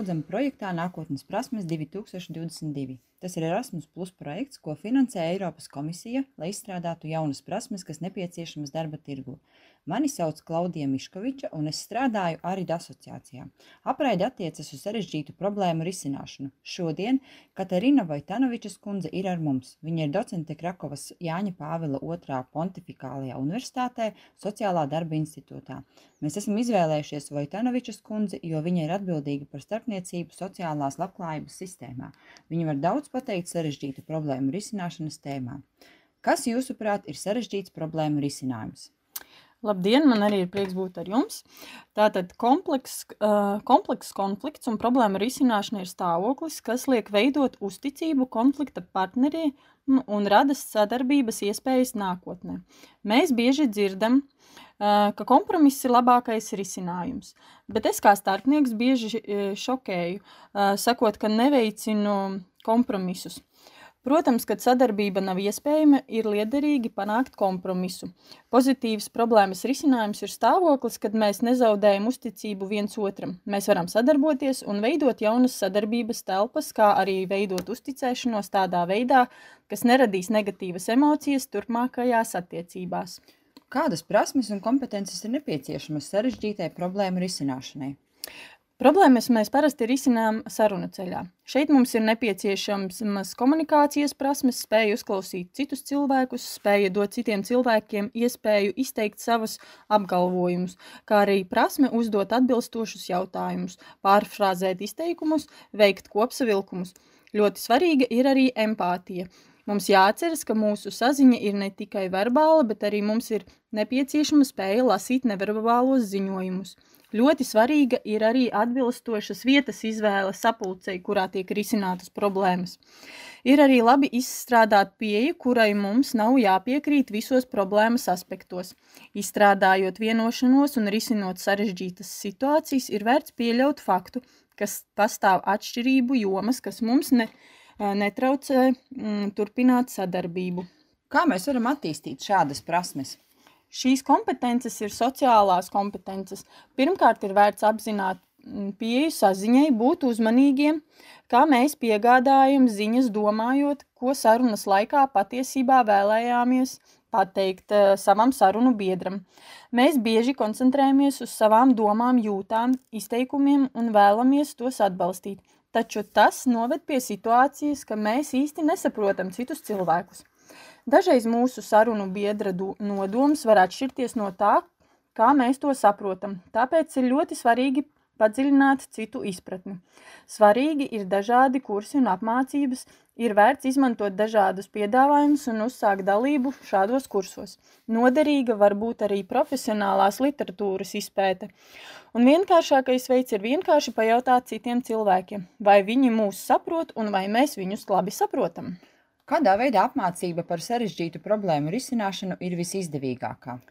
lūdzam projektā Nākotnes prasmes 2022. Tas ir Erasmus Plus projekts, ko finansē Eiropas komisija, lai izstrādātu jaunas prasmes, kas nepieciešamas darba tirgū. Mani sauc Klaudija Miškoviča, un es strādāju ARID asociācijā. Apraide attiecas uz sarežģītu problēmu risināšanu. Šodien Katarina Vojtanovičas kundze ir ar mums. Viņa ir docente Krakovas Jāņa Pāvila II Pontifikālajā universitātē, Sociālā darba institūtā. Mēs esam izvēlējušies Vojtanovičas kundzi, jo viņa ir atbildīga par starpniecību sociālās labklājības sistēmā. Viņa var daudz pateikt sarežģītu problēmu risināšanas tēmā. Kas, jūsuprāt, ir sarežģīts problēmu risinājums? Labdien, man arī ir prieks būt ar jums. Tātad komplekss konflikts un problēma risināšana ir stāvoklis, kas liek veidot uzticību konflikta partneriem un rada sadarbības iespējas nākotnē. Mēs bieži dzirdam, ka kompromiss ir labākais risinājums, bet es kā starpnieks bieži šokēju, sakot, ka neveicinu kompromisus. Protams, kad sadarbība nav iespējama, ir liederīgi panākt kompromisu. Pozitīvs problēmas risinājums ir stāvoklis, kad mēs nezaudējam uzticību viens otram. Mēs varam sadarboties un veidot jaunas sadarbības telpas, kā arī veidot uzticēšanos tādā veidā, kas neradīs negatīvas emocijas turpmākajās attiecībās. Kādas prasmes un kompetences ir nepieciešamas sarežģītai problēmu risināšanai? Problēmas mēs parasti risinām sarunu ceļā. Šeit mums ir nepieciešamas komunikācijas prasmes, spēja uzklausīt citus cilvēkus, spēja dot citiem cilvēkiem iespēju izteikt savus apgalvojumus, kā arī prasme uzdot atbilstošus jautājumus, pārfrāzēt izteikumus, veikt kopsavilkumus. Ļoti svarīga ir arī empātija. Mums jāatceras, ka mūsu saziņa ir ne tikai verbāla, bet arī mums ir nepieciešama spēja lasīt neverbālos ziņojumus. Ļoti svarīga ir arī atbilstošas vietas izvēle sapulcei, kurā tiek risinātas problēmas. Ir arī labi izstrādāt pieeju, kurai mums nav jāpiekrīt visos problēmas aspektos. Izstrādājot vienošanos un risinot sarežģītas situācijas, ir vērts pieļaut faktu, ka pastāv atšķirību jomas, kas mums netraucē turpināt sadarbību. Kā mēs varam attīstīt šādas prasmes? Šīs kompetences ir sociālās kompetences. Pirmkārt, ir vērts apzināt pieeju saziņai, būt uzmanīgiem, kā mēs piegādājam ziņas domājot, ko sarunas laikā patiesībā vēlējāmies pateikt savam sarunu biedram. Mēs bieži koncentrējamies uz savām domām, jūtām, izteikumiem un vēlamies tos atbalstīt. Taču tas noved pie situācijas, ka mēs īsti nesaprotam citus cilvēkus. Dažreiz mūsu sarunu biedra nodoms var atšķirties no tā, kā mēs to saprotam, tāpēc ir ļoti svarīgi padziļināt citu izpratni. Svarīgi ir dažādi kursi un apmācības, ir vērts izmantot dažādus piedāvājumus un uzsākt dalību šādos kursos. Noderīga var būt arī profesionālās literatūras izpēte. Un vienkāršākais veids ir vienkārši pajautāt citiem cilvēkiem, vai viņi mūs saprot un vai mēs viņus labi saprotam. Kādā veidā apmācība par sarežģītu problēmu risināšanu ir visizdevīgākā?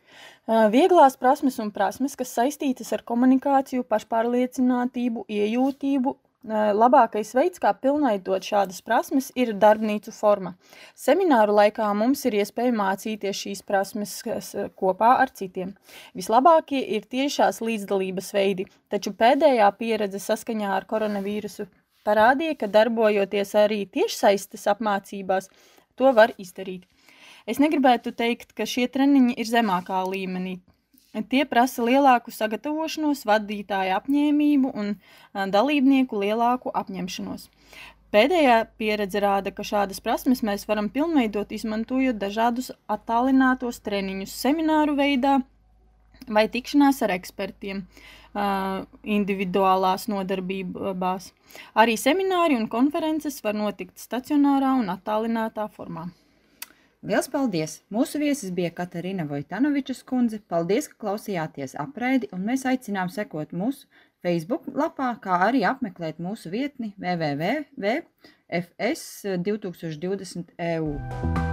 Vieglās prasmes un prasmes, kas saistītas ar komunikāciju, pašpārliecinātību, iejūtību. Labākais veids, kā pilnveidot šādas prasmes, ir darbnīcu forma. Semināru laikā mums ir iespēja mācīties šīs prasmes kopā ar citiem. Vislabākie ir tiešās līdzdalības veidi, taču pēdējā pieredze saskaņā ar koronavīrusu parādīja, ka darbojoties arī tiešsaistes apmācībās, to var izdarīt. Es negribētu teikt, ka šie treniņi ir zemākā līmenī. Tie prasa lielāku sagatavošanos, vadītāju apņēmību un dalībnieku lielāku apņemšanos. Pēdējā pieredze rāda, ka šādas prasmes mēs varam pilnveidot, izmantojot dažādus attālinātos treniņus semināru veidā vai tikšanās ar ekspertiem individuālās nodarbībās. Arī semināri un konferences var notikt stacionārā un attālinātā formā. Liels paldies! Mūsu viesis bija Katarina Vojtanovičas kundze. Paldies, ka klausījāties apraidi, un mēs aicinām sekot mūsu Facebook lapā, kā arī apmeklēt mūsu vietni www.fs2020.eu.